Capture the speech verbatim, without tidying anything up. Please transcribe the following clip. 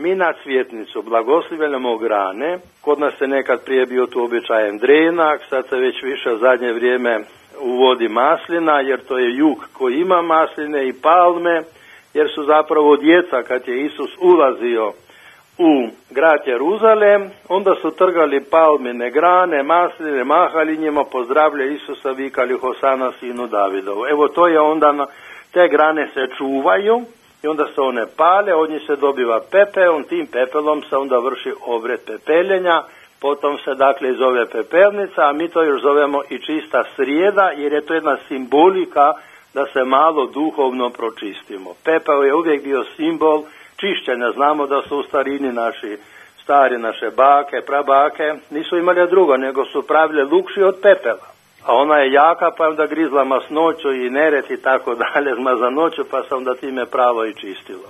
mi na cvjetnicu blagoslivljamo grane. Kod nas se nekad prije bio tu običajem drenak, sad se već više u zadnje vrijeme uvodi maslina, jer to je jug koji ima masline i palme, jer su zapravo djeca kad je Isus ulazio u grad Jeruzalem, onda su trgali palmine grane, masline, mahali njima, pozdravljali Isusa, vikali Hosana sinu Davidovu. Evo to je onda, na, te grane se čuvaju i onda se one pale, od njih se dobiva pepel, tim pepelom se onda vrši obred pepeljenja, potom se dakle zove pepelnica, a mi to još zovemo i čista srijeda, jer je to jedna simbolika da se malo duhovno pročistimo. Pepeo je uvijek bio simbol čišćenja. Znamo da su u starini naši stari, naše bake, prabake, nisu imali drugo, nego su pravile lukši od pepela. A ona je jaka, pa onda grizla masnoću i neret i tako dalje, zmazanoću, pa se onda time pravo i čistilo.